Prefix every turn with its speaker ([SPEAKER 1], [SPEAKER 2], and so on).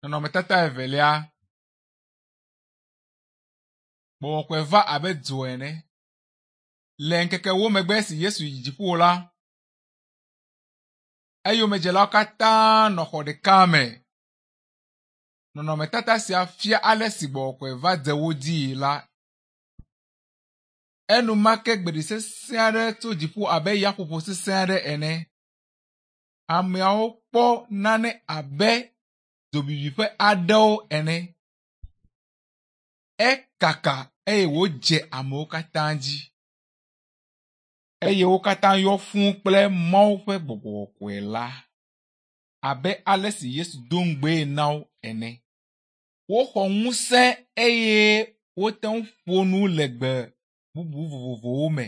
[SPEAKER 1] Nɔnɔmetata evelia. Gbɔgbɔ kɔkɔe va abe dzo ene. Le ŋkeke ewo megbe esi Yesu yi dziƒo la, eyomedzelawo katã nɔ xɔ ɖeka me. Nɔnɔmetata sia fia ale si gbɔgbɔ kɔkɔe va dze wo dzii la. Enumake gbeɖi sesẽ aɖe tso dziƒo abe yaƒoƒo sesẽ aɖe ene. Ameawo kpɔ nane abe dzobibi ƒe aɖewo ene. Ekaka eye wòdze amewo katã dzi eye wo katã yɔ fũu kple Mawu ƒe gbɔgbɔ kɔkɔe la abe ale si Yesu do ŋugbee na wo ene. Woxɔ ŋusẽ eye wote ŋu ƒo nu le gbe bubu vovovowo me.